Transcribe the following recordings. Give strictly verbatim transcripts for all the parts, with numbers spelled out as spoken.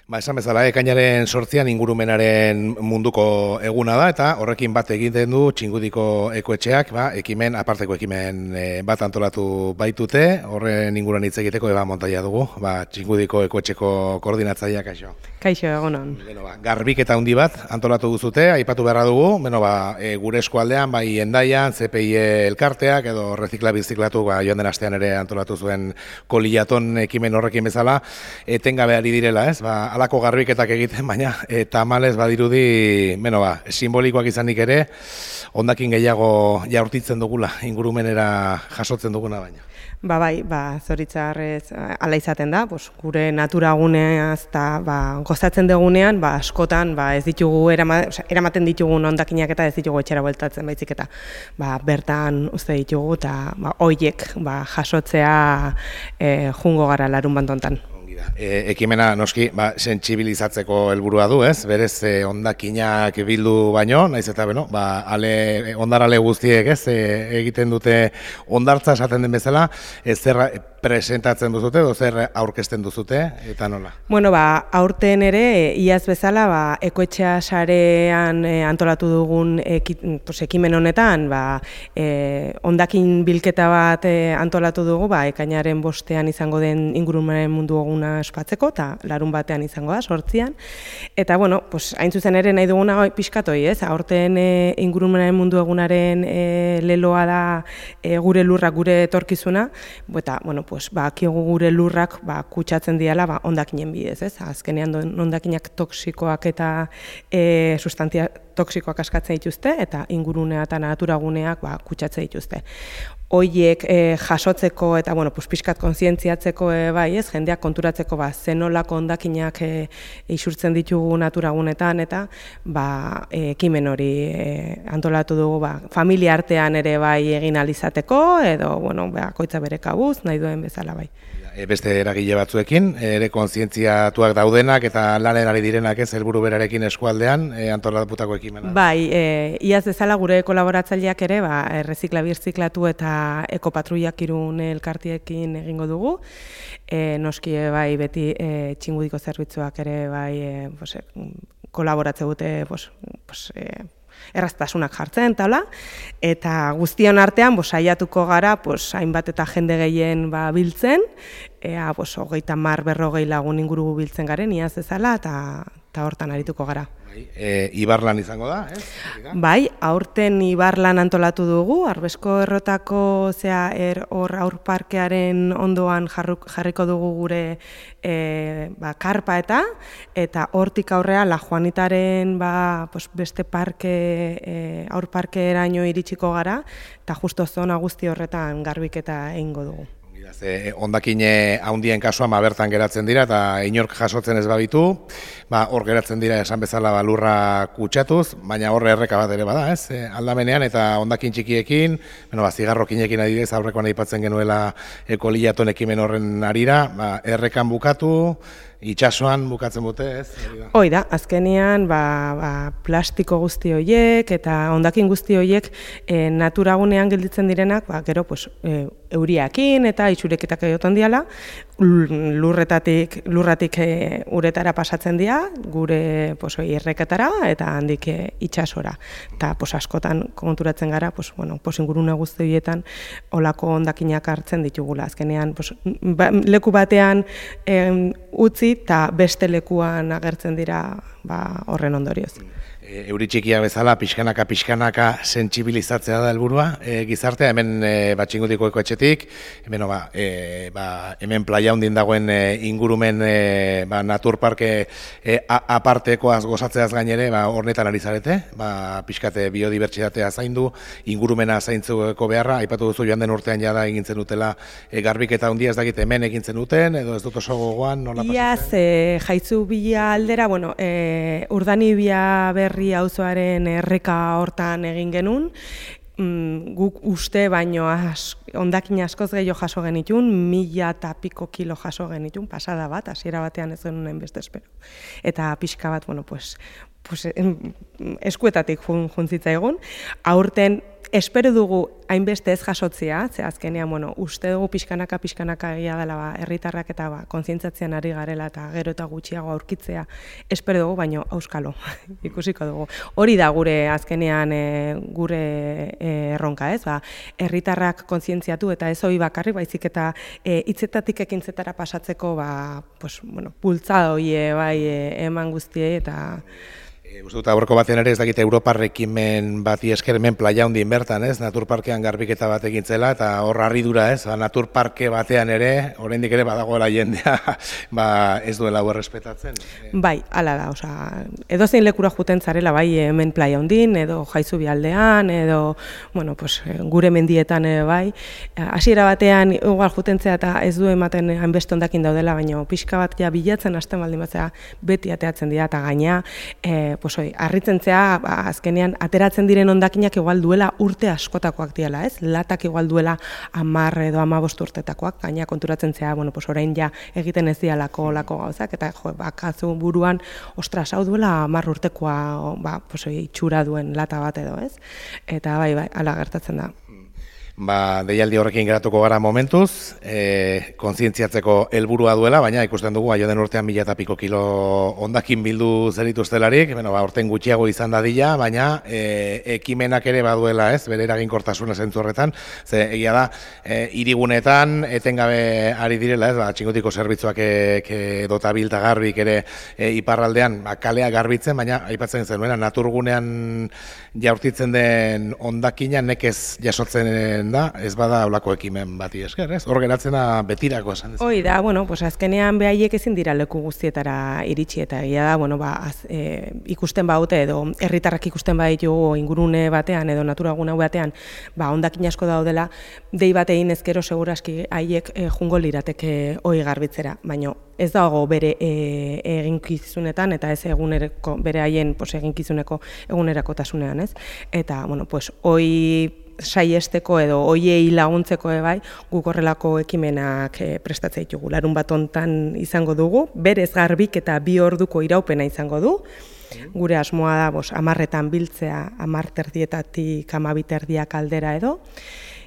Ba, esan bezala, ekainaren sortzian ingurumenaren munduko eguna da, eta horrekin bat egiten du Txingudiko ekoetxeak, ba, ekimen, aparteko ekimen e, bat antolatu baitute, horren inguruan hitz egiteko Eba Montaia dugu, ba, Txingudiko ekoetxeko koordinatzaileak, kaixo. Kaixo, egunon. Beno, ba, garbiketa handi bat antolatu duzute, aipatu beharra dugu, beno, ba, e, gure eskualdean, bai Hendaian, C P I elkarteak, edo rezikla biziklatu, ba, joan den astean ere antolatu zuen koliaton ekimen horrekin bezala, etengabe ari direla, ez, ba, alako garbiketak egiten, baina e, tamalez badirudi, beno ba, simbolikoak izanik ere, hondakin gehiago jaurtitzen dugula, ingurumenera jasotzen duguna baina. Ba bai, ba, zoritzarrez ala izaten da, pues, gure naturaguneaz eta ba, gozatzen dugunean, ba, askotan ba, ez ditugu erama, oza, eramaten ditugun hondakinak eta ez ditugu etxera bueltatzen baizik eta ba, bertan uste ditugu eta ba, hoiek ba, jasotzea e, jungo gara larun bantontan. E, ekimena noski ba, sentsibilizatzeko helburua du, ez? Berez e, hondakinak bildu baino, naiz eta beno, ba, ale, ondarale guztiek, ez? E, egiten dute hondartza esaten den bezala, ez zer presentatzen duzute, edo zer aurkezten duzute, eta nola? Bueno, ba, aurten ere, iaz bezala, ba, ekoetxea sarean e, antolatu dugun eki, pues, ekimen honetan, ba, e, hondakin bilketa bat e, antolatu dugu, ba, ekainaren bostean izango den ingurumenaren mundu eguna ospatzeko, eta larun batean izango da, sortzian. Eta, bueno, pues, hain zuzen ere nahi duguna pixkatoi, ez? Aurten e, ingurumenaren mundu egunaren e, leloa da e, gure lurrak, gure etorkizuna, eta, bueno, pues, ba, kigu gure lurrak ba, kutsatzen diala ba, hondakinen bidez, ez? Azkenean hondakinak toksikoak eta e, sustantzia toksikoak askatzen dituzte, eta ingurunea eta naturaguneak ba, kutsatzen dituzte. Hoiek e, jasotzeko eta bueno, pues, pixkat kontzientziatzeko e, bai, ez, jendeak konturatzeko ba, zenolako hondakinak e, isurtzen ditugu naturagunetan eta ba, e, ekimen hori e, antolatu dugu ba, familia artean ere bai egin ahal izateko edo bueno, bakoitza bere kabuz, nahi duen bezala bai. E, beste eragile batzuekin, ere kontzientziatuak daudenak eta lanen ari direnak ez helburu berarekin eskualdean e, antolatutako ekimena. Bai, e, iaz bezala gure kolaboratzaileak ere ba, errezikla birziklatu eta ekopatruiak Irun elkartiekin egingo dugu. E, noski bai beti e, Txingudiko zerbitzuak ere bai e, pues, kolaboratze dute pues, pues, e, erraztasunak jartzen, taula, eta guztion artean bos, saiatuko gara pues, hainbat eta jende gehien ba, biltzen, ea bos, hogeita mar berrogei lagun inguru biltzen garen, iaz ezala, eta eta hortan arituko gara. Bai, e, Ibarlan izango da, ez? Bai, aurten Ibarlan antolatu dugu, Arbesko errotako zea er, hor aurparkearen ondoan jarruk, jarriko dugu gure e, ba, karpa eta eta hortik aurrea La Juanitaren ba, pues, beste parke e, aurparkeeraino iritsiko gara eta justo zona guzti horretan garbiketa egingo dugu. Hondakine handien kasuan ba, bertan geratzen dira eta inork jasotzen ez babitu, ba, hor geratzen dira esan bezala ba, lurra kutsatuz, baina horre erreka bat ere bada, ez? E, aldamenean eta hondakin txikiekin, bueno, ba, zigarrokinekin adibidez aurrekoan aipatzen genuela ekoliaton ekimen horren arira, ba, errekan bukatu, itsasoan bukatzen dute, ez? Hoi da, azkenean ba, ba, plastiko guzti horiek eta hondakin guzti horiek e, naturagunean gelditzen direnak, ba, gero pues, e, euriakin eta itxureketak egoten diala, lurretatik, lurratik e, uretara pasatzen dira, gure pues, erreketara eta handik e, itsasora. Eta pues, askotan konturatzen gara, pues, bueno, pues, ingurune guzti horietan olako hondakinak hartzen ditugula. Azkenean pues, ba, leku batean e, utzi eta beste lekuan agertzen dira ba, horren ondorioz. E, euri txikia bezala, pixkanaka, pixkanaka sentsibilizatzea da helburua e, gizartea, hemen e, ba, Txingudiko ekoetxetik, hemen, ba, e, ba, hemen playa hundin dagoen e, ingurumen e, ba, naturparke e, apartekoaz gozatzeaz gainere, ba, hornetan ari zarete, ba, pixkate biodibertsitatea zaindu, ingurumena zaintzuko beharra, aipatu duzu joan den urtean jada egintzen dutela e, garbiketa handia ez dakit hemen egintzen duten, edo ez dut oso gogoan, nola pasatzen? Iaz, e, jaitzu bila aldera, bueno, e, Urdanibia berri auzoaren erreka hortan egin genuen, mm, guk uste baino az, hondakin askoz gehiago jaso genitun, mila eta piko kilo jaso genitun, pasada bat, hasiera batean ez genuen beste espero. Eta pixka bat, bueno, pues, pues, eskuetatik jun, juntzitza egun, aurten espero dugu hainbeste ez jasotzea, ze azkenean, bueno, uste dugu pixkanaka, pixkanaka egia dela, ba, herritarrak eta ba, kontzientziatzen ari garela eta gero eta gutxiago aurkitzea, espero dugu, baino auskalo, ikusiko dugu. Hori da gure azkenean e, gure e, erronka, ez? Ba, herritarrak kontzientziatu eta ez hori bakarrik, baizik eta e, hitzetatik ekintzetara pasatzeko, ba, pues, bueno, bultzada hoie bai e, eman guztiei eta Uste dut, aurreko batean ere ez dakite Europar ekimen bati esker hemen playa hundin bertan, ez? Naturparkean garbiketa bat egintzela, eta hor harridura, ez? Ba, naturparke batean ere, oraindik ere badagoela jendea, ba, ez duela hau errespetatzen. Bai, hala da, osea, edozein lekura juten zarela, bai, hemen playa hundin, edo Jaizubi aldean, edo, bueno, pues, gure mendietan ere bai. Hasiera batean, igual jutentzea eta ez du ematen hainbeste hondakin daudela, baina pixka bat ja bilatzen hasten baldin batzea beti ateatzen dira, eta gaina, e, pues hoi, harritzen zea, ba, azkenean ateratzen diren hondakinak igual duela urte askotakoak diela, ez? Latak igual duela hamar edo hamabost urtetakoak, gaina konturatzen zea, bueno, pues orain ja egiten ez dialako lako gauzak, eta jo, bakazu buruan, ostras, hau duela hamar urtekoa, ba, pues hoi, itxura duen lata bat edo, ez? Eta bai, bai, hala gertatzen da. Ba, deialdi horrekin geratuko gara momentuz, e, kontzientziatzeko helburua duela, baina ikusten dugu, aio den urtean mila eta piko kilo hondakin bildu zerituztelarik, bueno, ba, orten gutxiago izan dadila, baina e, ekimenak ere baduela, ez, bere eraginkortasuna zentzu horretan, ze egia da, e, hirigunetan etengabe ari direla, ez, ba, txingotiko zerbitzuak edota bilta garbik ere e, iparraldean, ba, kalea garbitzen, baina aipatzen zenuena, naturgunean jaurtitzen den hondakina nekez jasotzen da, ez bada olako ekimen bati esker, ez? Hor geratzen da betirako esan. Hoi da, bueno, pues azkenean behaiek ezin dira leku guztietara iritsi eta egia da, bueno, ba, az, e, ikusten baute edo herritarrak ikusten baditugu ingurune batean edo naturagune batean, ba, hondakin asko daudela, dei bat egin ezkero seguraski haiek e, jungo lirateke hoi garbitzera, baina ez dago bere e, eginkizunetan eta ez egunereko bere haien pues, eginkizuneko egunerakotasunean, ez? Eta, bueno, pues, hoi saiesteko edo hoiei laguntzeko bai, guk horrelako ekimenak e, prestatzea ditugu. Larun bat hontan izango dugu, berez garbik eta bi orduko iraupena izango du. Gure asmoa da, bos, amarretan biltzea, amar terdietatik amabi terdiak aldera edo.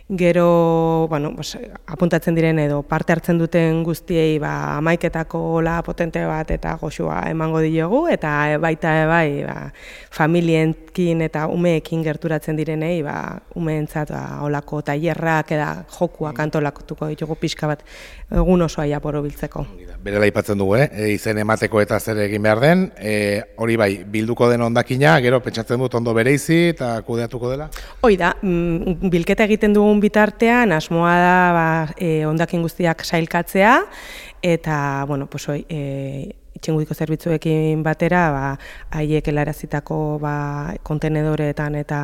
Gero, bueno, pues, apuntatzen diren edo parte hartzen duten guztiei ba, amaiketako la potente bat eta goxua emango diogu, eta baita bai ba, familienkin eta umeekin gerturatzen direnei ba, umeentzat ba, olako tailerrak eta jokuak antolatuko ditugu pixka bat egun osoa japoro biltzeko. Berela aipatzen dugu, eh? izen emateko eta zer egin behar den, e, hori bai, bilduko den hondakina, gero pentsatzen dut ondo bereizi eta kudeatuko dela? Hoi da, mm, bilketa egiten dugun bitartean, asmoa da ba, e, hondakin guztiak sailkatzea, eta, bueno, pues, oi, e, itxingudiko zerbitzuekin batera, ba, haiek helarazitako ba, kontenedoreetan eta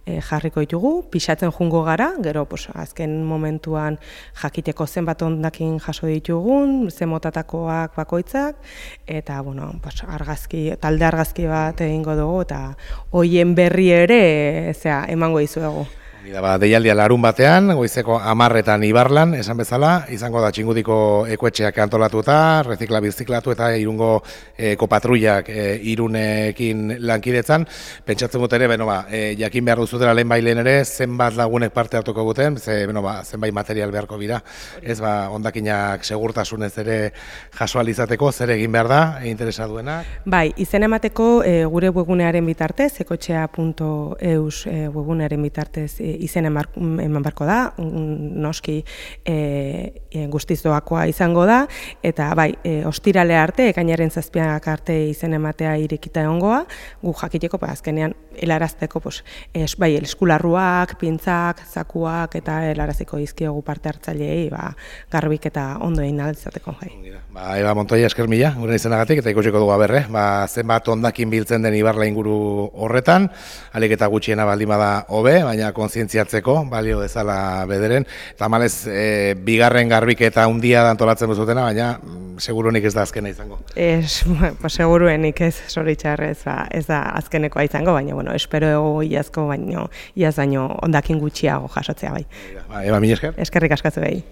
e, jarriko ditugu, pixatzen jungo gara, gero pues, azken momentuan jakiteko zenbat hondakin jaso ditugun, zen motatakoak bakoitzak, eta bueno, pues, argazki, talde argazki bat egingo dugu, eta hoien berri ere zera, emango dizuegu. Ba, deialdia larun batean, goizeko hamarretan Ibarlan, esan bezala, izango da txingudiko ekoetxeak antolatuta, rezikla biziklatu eta irungo ekopatruiak e, irunekin lankidetzan. Pentsatzen dut ere, beno, ba, e, jakin behar duzutela lehen bailen ere, zenbat lagunek parte hartuko guten, ze, beno, ba, zenbait material beharko bira. Ez, ba, hondakinak segurtasunez ere jasoalizateko, zer egin behar da, e, interesa duena. Bai, izen emateko e, gure webgunearen bitartez, ekoetxea puntu eus e, webgunearen bitartez e, izen eman barko da, noski e, e, guztiz doakoa izango da, eta bai, e, ostirale arte, ekainaren zazpiak arte izen ematea irekita egongoa, gu jakiteko, ba, azkenean, helarazteko, pues, es, bai, eskularruak, pintzak, zakuak, eta helaraziko dizkiogu parte hartzaileei, ba, garbik eta ondo egin altzateko. Bai. Ba, Eba Montoya, esker mila, gure izenagatik, eta ikusiko dugu aberre, ba, zenbat hondakin biltzen den Ibarla inguru horretan, alik eta gutxiena baldin bada hobe, baina kontzientziatzeko, balio dezala bederen, eta malez, e, bigarren garbiketa handia da antolatzen duzutena, baina seguruenik ez da azkena izango. Es, pues, seguruenik ez, zoritxarrez, ba, ez da azkenekoa izango, baina, bueno, espero ego iazko, baino, iaz baino hondakin gutxiago jasotzea bai. Ba, Eba, mila esker. Eskerrik askatzu behi.